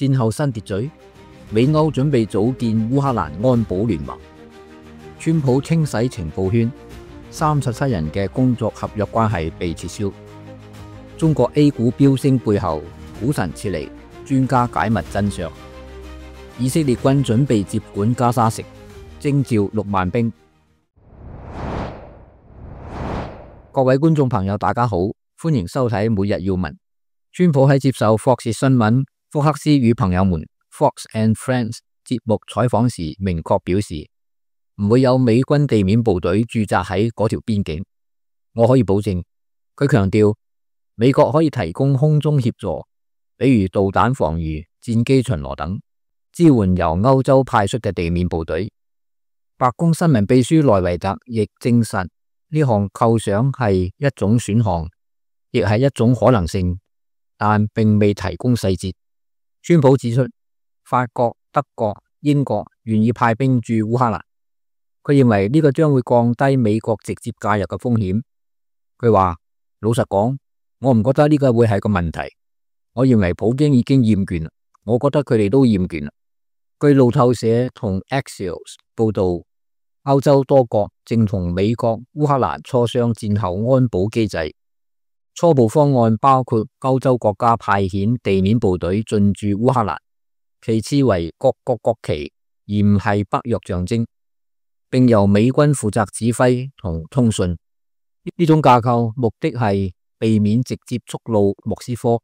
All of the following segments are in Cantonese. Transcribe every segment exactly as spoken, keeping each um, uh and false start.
戰後新秩序，美歐準備組建烏克蘭安保聯盟。川普清洗情報圈，三十七人嘅工作合約關係被撤銷。中國 A 股飆升背後，股神撤離，專家解密真相。以色列軍準備接管加沙城，徵召六萬兵。各位觀眾朋友，大家好，歡迎收睇每日要聞。川普喺接受霍士新聞福克斯與朋友們 Fox and Friends 節目採訪時，明確表示唔會有美軍地面部隊駐紮喺嗰條邊境。我可以保證，佢強調美國可以提供空中協助，比如導彈防禦、戰機巡邏等，支援由歐洲派出嘅地面部隊。白宮新聞秘書萊維特亦證實呢項構想係一種選項，亦係一種可能性，但並未提供細節。川普指出，法國、德國、英國願意派兵駐烏克蘭，佢認為呢個將會降低美國直接介入嘅風險。佢話：老實講，我唔覺得呢個會係個問題。我認為普京已經厭倦啦，我覺得佢哋都厭倦啦。據路透社同 Axios 報道，歐洲多國正同美國、烏克蘭磋商戰後安保機制。初步方案包括歐洲國家派遣地面部隊進駐烏克蘭，其次為各國國旗，而唔係北約象徵，並由美軍負責指揮同通訊。呢種架構目的係避免直接觸怒莫斯科，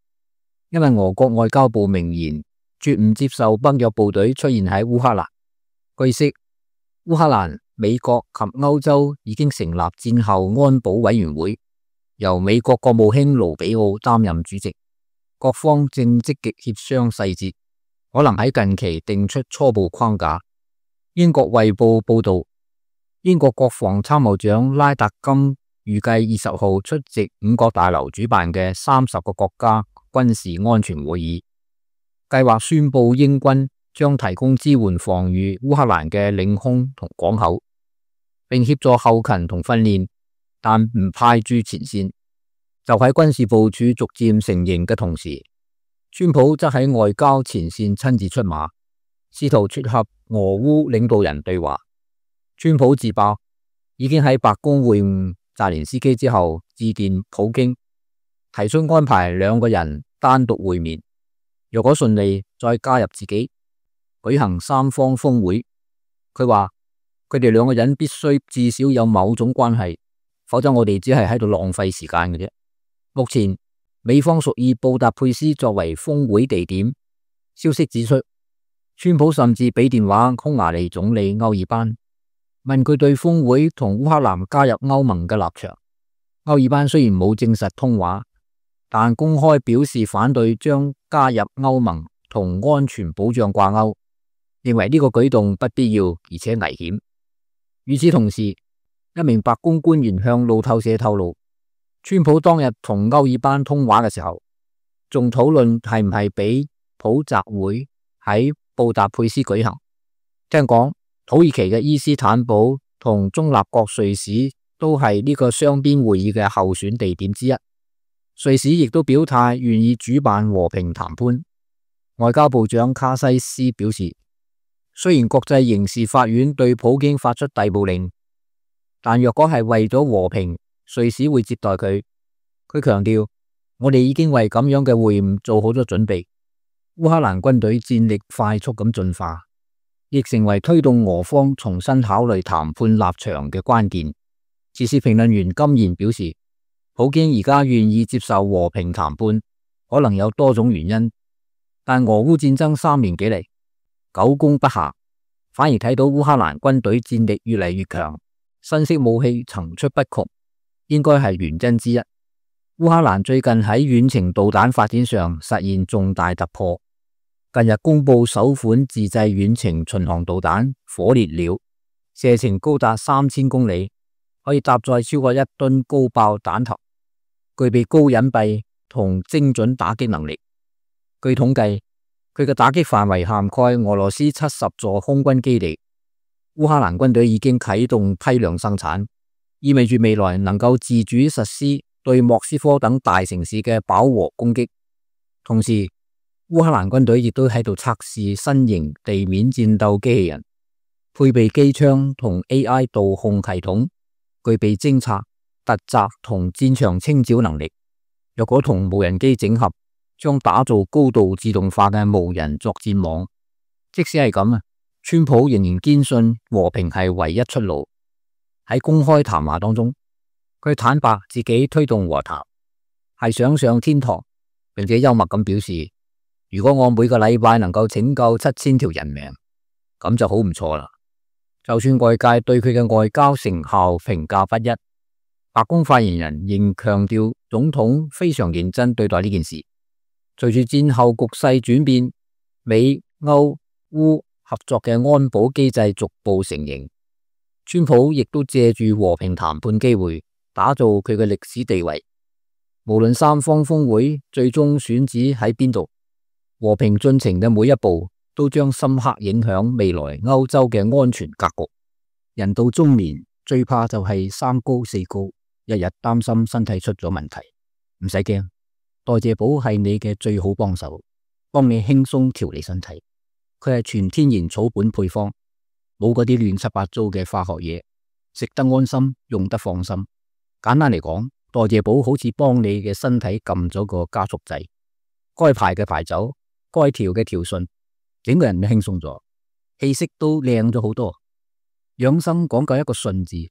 因為俄國外交部明言絕唔接受北約部隊出現喺烏克蘭。據悉，烏克蘭、美國及歐洲已經成立戰後安保委員會，由美國國務卿盧比奧擔任主席，各方正積極協商細節，可能喺近期定出初步框架。英國衛報報道，英國國防參謀長拉達金預計二十號出席五角大樓主辦嘅三十個國家軍事安全會議，計劃宣布英軍將提供支援防禦烏克蘭嘅領空同港口，並協助後勤同訓練，但唔派駐前線。就喺軍事部署逐漸成型嘅同時，川普則喺外交前線親自出馬，試圖撮合俄烏領導人對話。川普自爆已經喺白宮會晤澤連斯基之後，致電普京，提出安排兩個人單獨會面，若果順利再加入自己，舉行三方峰會。佢話佢哋兩個人必須至少有某種關係，否則我哋只係喺度浪費時間嘅啫。目前美方屬意布達佩斯作為峰會地點。消息指出，川普甚至俾電話匈牙利總理歐爾班，問佢對峰會同烏克蘭加入歐盟嘅立場。歐爾班雖然冇證實通話，但公開表示反對將加入歐盟同安全保障掛鈎，認為呢個舉動不必要而且危險。與此同時，一名白宮官員向路透社透露，川普當日同歐爾班通話嘅時候，仲討論係唔係俾普習會喺布達佩斯舉行。聽講土耳其嘅伊斯坦堡同中立國瑞士都係呢個雙邊會議嘅候選地點之一。瑞士亦都表態願意主辦和平談判。外交部長卡西斯表示，雖然國際刑事法院對普京發出逮捕令，但若果係為咗和平，瑞士會接待佢。佢強調，我哋已經為咁樣嘅會晤做好咗準備。烏克蘭軍隊戰力快速咁進化，亦成為推動俄方重新考慮談判立場嘅關鍵。時事評論員金賢表示，普京而家願意接受和平談判，可能有多種原因，但俄烏戰爭三年幾嚟，久攻不下，反而睇到烏克蘭軍隊戰力越嚟越強，新式武器層出不窮，應該係原因之一。烏克蘭最近喺遠程導彈發展上實現重大突破，近日公布首款自製遠程巡航導彈火烈鳥，射程高達三千公里，可以搭載超過一噸高爆彈頭，具備高隱蔽同精準打擊能力。據統計，佢嘅打擊範圍涵蓋俄羅斯七十座空軍基地。烏克蘭軍隊已經啟動批量生產，意味住未來能夠自主實施對莫斯科等大城市嘅飽和攻擊。同時，烏克蘭軍隊亦都喺度測試新型地面戰鬥機器人，配備機槍同 A I 導控系統，具備偵察、突襲同戰場清剿能力。若果同無人機整合，將打造高度自動化嘅無人作戰網。即使係咁啊，川普仍然堅信和平係唯一出路。喺公開談話當中，佢坦白自己推動和談係想上天堂，並且幽默咁表示，如果我每個禮拜能夠拯救七千條人命，咁就好唔錯啦。就算外界對佢嘅外交成效評價不一，白宮發言人仍強調總統非常認真對待呢件事。隨住戰後局勢轉變，美歐烏合作嘅安保機制逐步成形，川普亦都借住和平談判機會打造佢嘅歷史地位。無論三方峰會最終選址喺邊度，和平進程嘅每一步都將深刻影響未來歐洲嘅安全格局。人到中年最怕就係三高四高，日日擔心身體出咗問題。唔使驚，代謝寶係你嘅最好幫手，幫你輕鬆調理身體。佢係全天然草本配方，冇嗰啲亂七八糟嘅化學嘢，食得安心，用得放心。簡單嚟講，代謝寶好似幫你嘅身體撳咗個加速掣，該排嘅排走，該調嘅調順，整個人都輕鬆咗，氣色都靚咗好多。養生講究一個順字，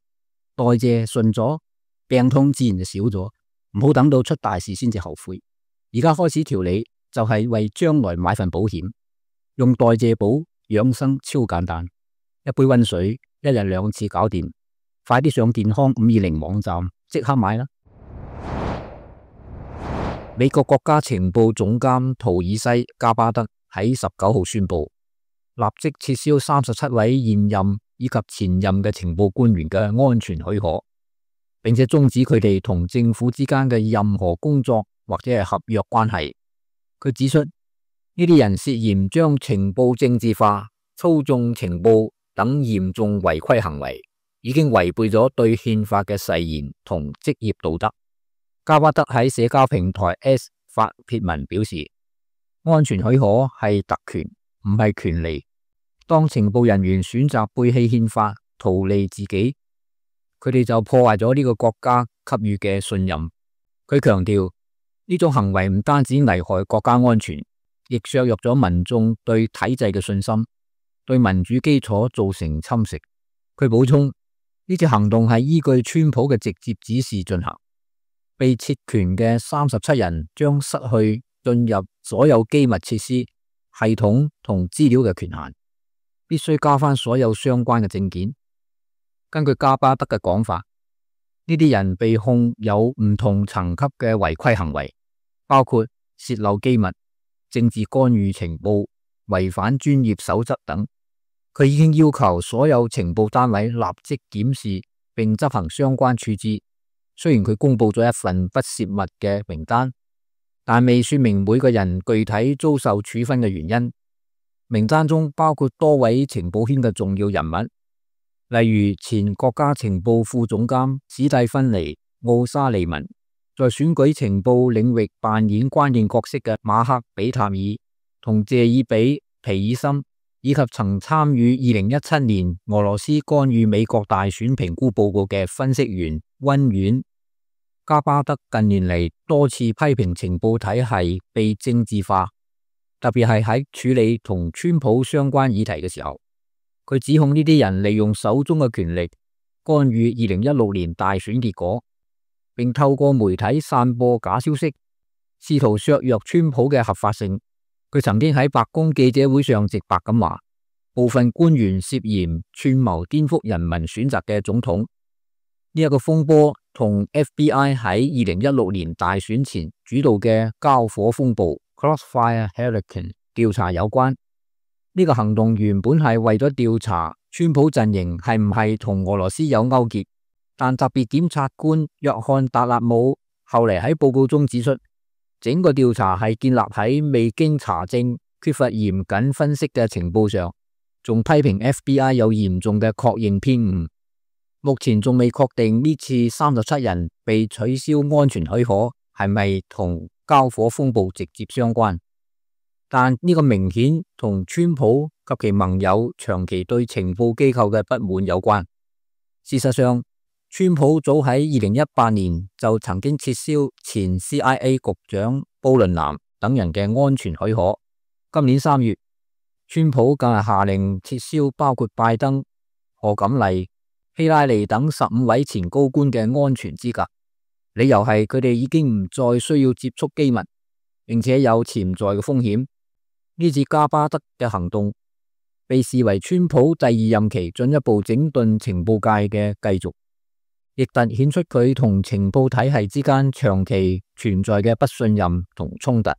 代謝順咗，病痛自然就少咗。唔好等到出大事先至後悔，而家開始調理就係為將來買份保險。用代謝寶養生超簡單，一杯溫水，一日兩次搞掂。快啲上健康五二零網站即刻買啦！美國國家情報總監圖爾西加巴德喺十九號宣布，立即撤銷三十七位現任以及前任嘅情報官員嘅安全許可，並且終止佢哋同政府之間嘅任何工作或者係合約關係。佢指出，呢啲人涉嫌將情報政治化、操縱情報等嚴重違規行為，已經違背咗對憲法嘅誓言同職業道德。加巴德喺社交平台 S 發帖文表示，安全許可係特權，唔係權利。當情報人員選擇背棄憲法，圖利自己，佢哋就破壞咗呢個國家給予嘅信任。佢強調，呢種行為唔單止危害國家安全，亦削弱咗民眾對體制嘅信心，對民主基礎造成侵蝕。佢補充，呢次行動係依據川普嘅直接指示進行。被撤權嘅三十七人將失去進入所有機密設施、系統同資料嘅權限，必須交翻所有相關嘅證件。根據加巴德嘅講法，呢啲人被控有唔同層級嘅違規行為，包括洩漏機密、政治干預情報、違反專業守則等。佢已經要求所有情報單位立即檢視並執行相關處置。雖然佢公布咗一份不泄密嘅名單，但未說明每個人具體遭受處分嘅原因。名單中包括多位情報圈嘅重要人物，例如前國家情報副總監史蒂芬尼·奧沙利文，在選舉情報領域扮演關鍵角色嘅馬克·比塔爾同謝爾比·皮爾森，以及曾參與二零一七年俄羅斯干預美國大選評估報告嘅分析員溫遠。加巴德近年嚟多次批評情報體系被政治化，特別係喺處理同川普相關議題嘅時候，佢指控呢啲人利用手中嘅權力干預二零一六年大選結果，並透過媒體散播假消息，試圖削弱川普嘅合法性。佢曾經喺白宮記者會上直白咁話，部分官員涉嫌串謀顛覆人民選擇嘅總統。呢一個風波同 F B I 喺二零一六年大選前主導嘅交火風暴 Crossfire Hurricane 調查有關。呢個行動原本係為咗調查川普陣營係唔係同俄羅斯有勾結，但特別檢察官約翰達納姆後嚟喺報告中指出，整個調查係建立喺未經查證、缺乏嚴謹分析嘅情報上，仲批評 F B I 有嚴重嘅確認偏誤。目前仲未確定呢次三十七人被取消安全許可係咪同交火風暴直接相關。但呢個明顯同川普及其盟友長期對情報機構嘅不滿有關。事實上，川普早喺二零一八年就曾經撤銷前 C I A 局長布倫南等人嘅安全許可。今年三月，川普更係下令撤銷包括拜登、賀錦麗、希拉里等十五位前高官嘅安全資格，理由係佢哋已經唔再需要接觸機密，並且有潛在嘅風險。呢次加巴德嘅行動被視為川普第二任期進一步整頓情報界嘅繼續，亦凸顯出佢同情報體系之間長期存在嘅不信任同衝突。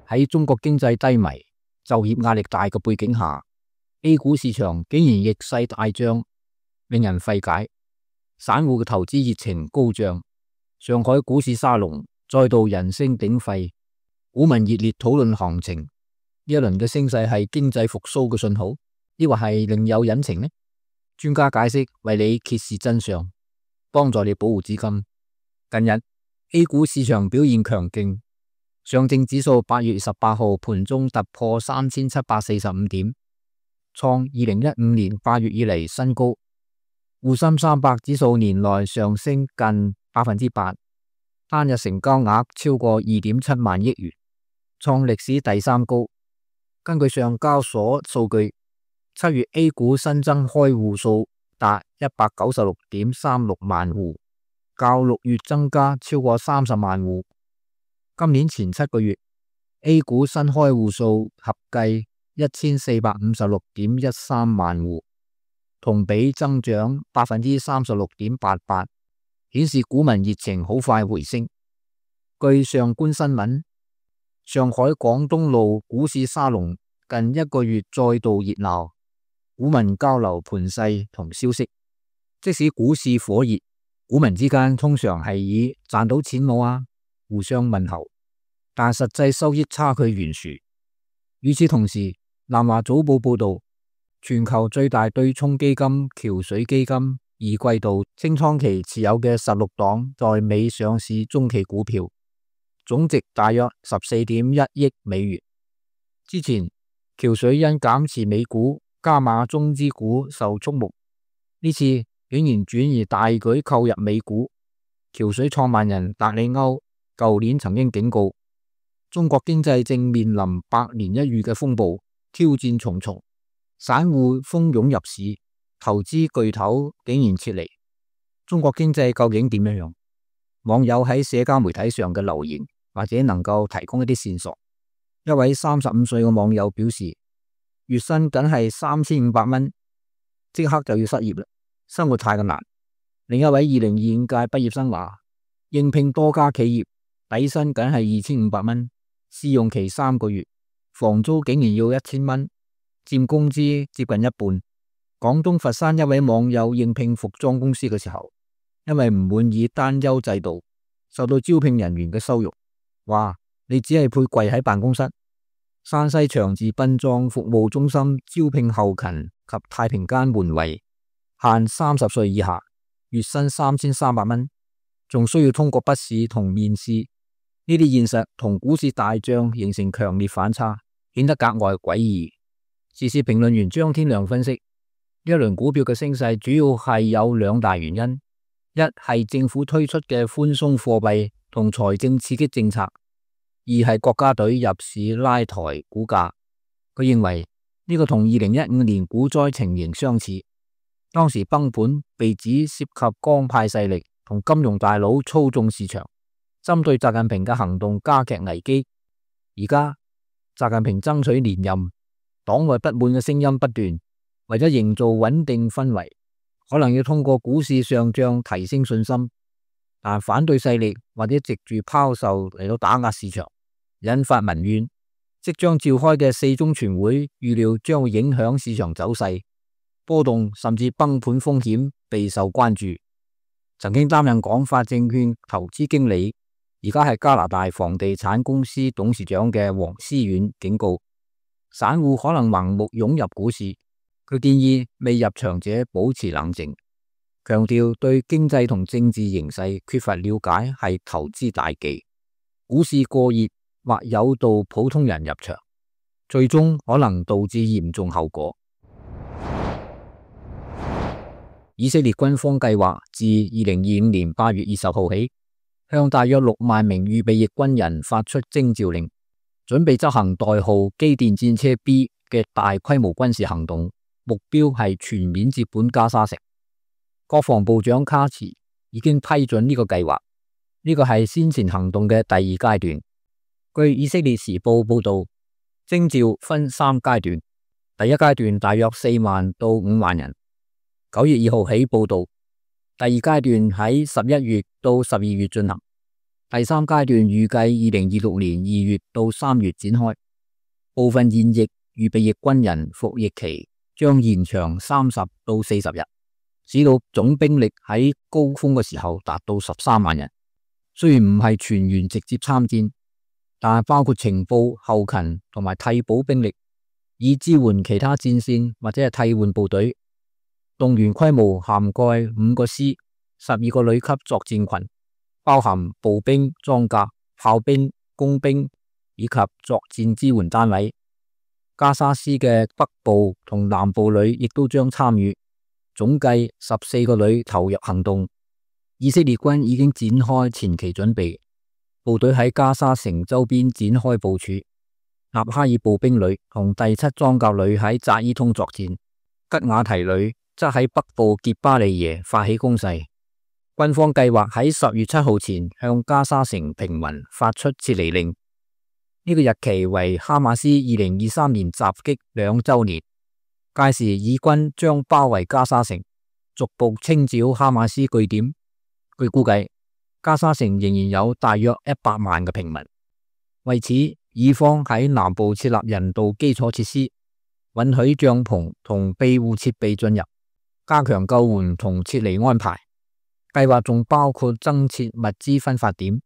喺中國經濟低迷、就業壓力大嘅背景下， A 股市場竟然逆勢大漲，令人費解。散戶嘅投資熱情高漲，上海股市沙龍再度人聲鼎沸，股民熱烈討論行情。呢一輪嘅升勢係經濟復甦嘅信號，抑或係另有隱情呢？專家解釋為你揭示真相，幫助你保護資金。近日 A 股市場表現強勁，上證指數八月十八號盤中突破三千七百四十五點，創二零一五年八月以嚟新高。滬深三百指數年內上升近百分之八，單日成交額超過二點七萬億元，創歷史第三高。根據上交所數據，七月 A 股新增開戶數達一百九十六點三六萬戶，較六月增加超過三十萬戶。今年前七個月 A 股新開戶數合計一千四百五十六點一三萬戶，同比增長百分之三十六點八八，顯示股民熱情好快回升。據上觀新聞，上海廣東路股市沙龍近一個月再度熱鬧，股民交流盤勢同消息。即使股市火熱，股民之間通常係以賺到錢冇啊互相問候，但實際收益差距懸殊。與此同時，南華早報報道，全球最大對沖基金橋水基金二季度清倉期持有嘅十六檔在美上市中期股票，總值大約十四點一億美元。之前橋水因減持美股加碼中資股受矚目，呢次竟然轉移大舉購入美股。橋水創辦人達里歐舊年曾經警告，中國經濟正面臨百年一遇嘅風暴，挑戰重重，散戶蜂擁入市，投資巨頭竟然撤離。中國經濟究竟點樣樣？網友喺社交媒體上嘅留言或者能夠提供一啲線索。一位三十五歲嘅網友表示，月薪僅係三千五百蚊，即刻就要失業啦，生活太過難。另一位二零二五屆畢業生話，應聘多家企業，底薪僅係二千五百蚊，試用期三個月，房租竟然要一千蚊，佔工資接近一半。廣東佛山一位網友應聘服裝公司嘅時候，因為唔滿意單優制度，受到招聘人員嘅羞辱，話你只係配跪喺辦公室。山西長治殯葬服務中心招聘後勤及太平間門衛，限三十歲以下，月薪三千三百蚊，仲需要通過筆試同面試。呢啲現實同股市大漲形成強烈反差，顯得格外詭異。時事評論員張天亮分析，呢一輪股票嘅升勢主要係有兩大原因：一係政府推出嘅寬鬆貨幣同財政刺激政策；二係國家隊入市拉抬股價。佢認為呢個同二零一五年股災情形相似，當時崩盤被指涉及江派勢力同金融大佬操縱市場，針對習近平嘅行動加劇危機。而家習近平爭取連任，黨內不滿嘅聲音不斷，為咗營造穩定氛圍，可能要通過股市上漲提升信心，但反對勢力或者藉住拋售嚟到打壓市場，引發民怨。即將召開嘅四中全會預料將會影響市場走勢，波動甚至崩盤風險備受關注。曾經擔任廣發證券投資經理，而家係加拿大房地產公司董事長嘅黃思遠警告，散戶可能盲目湧入股市。佢建議未入場者保持冷靜，強調對經濟同政治形勢缺乏了解係投資大忌。股市過熱或誘導普通人入場，最終可能導致嚴重後果。以色列軍方計劃自二零二五年八月二十號起，向大約六萬名預備役軍人發出徵召令，準備執行代號機電戰車 B 嘅大規模軍事行動，目標係全面接管加沙城。國防部長卡茨已經批准呢個計劃，呢個係先前行動嘅第二階段。據以色列時報報道，徵召分三階段，第一階段大約四萬到五萬人，九月二號起報到。第二階段喺十一月到十二月進行，第三階段預計二零二六年二月到三月展開。部分現役預備役軍人服役期將延長三十到四十日，使到總兵力喺高峰嘅時候達到十三萬人。雖然唔係全員直接參戰，但係包括情報、後勤同埋替補兵力，以支援其他戰線或者係替換部隊。動員規模涵蓋五個師、十二個旅級作戰群，包含步兵、裝甲、炮兵、工兵以及作戰支援單位。加沙師嘅北部同南部旅亦都將參與，總計十四個旅投入行動。以色列軍已經展開前期準備，部隊喺加沙城周邊展開部署。納哈爾步兵旅同第七裝甲旅喺扎伊通作戰，吉瓦提旅則喺北部傑巴利耶發起攻勢。軍方計劃喺十月七號前向加沙城平民發出撤離令。呢個日期為哈馬斯二零二三年襲擊兩週年，屆時以軍將包圍加沙城，逐步清剿哈馬斯據點。據估計，加沙城仍然有大約一百萬嘅平民。為此，以方喺南部設立人道基礎設施，允許帳篷同庇護設備進入，加強救援同撤離安排。計劃仲包括增設物資分發點，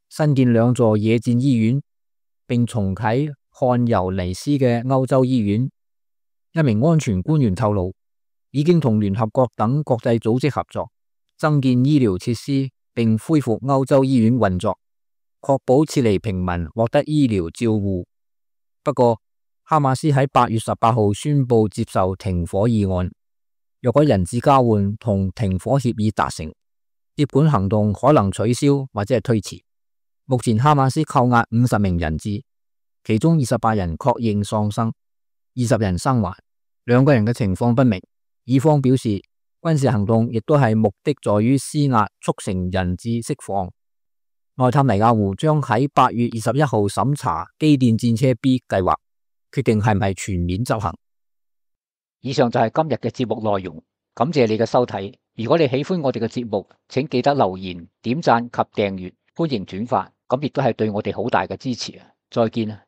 新建兩座野戰醫院，並重啟漢尤尼斯嘅歐洲醫院。一名安全官員透露，已經同聯合國等國際組織合作，增建醫療設施，並恢復歐洲醫院運作，確保撤離平民獲得醫療照護。不過，哈馬斯喺八月十八號宣布接受停火議案，若果人質交換同停火協議達成，接管行動可能取消或者係推遲。目前哈馬斯扣押五十名人質，其中二十八人確認喪生，二十人生還，兩個人嘅情況不明。以方表示，軍事行動亦都係目的在於施壓促成人質釋放。內塔尼亞胡將喺八月二十一號審查機電戰車 B 計劃，決定係咪全面執行。以上就係今日嘅節目內容，感謝你嘅收睇。如果你喜歡我哋嘅節目，請記得留言、點讚及訂閱，歡迎轉發，咁亦都係對我哋好大嘅支持啊！再見啊！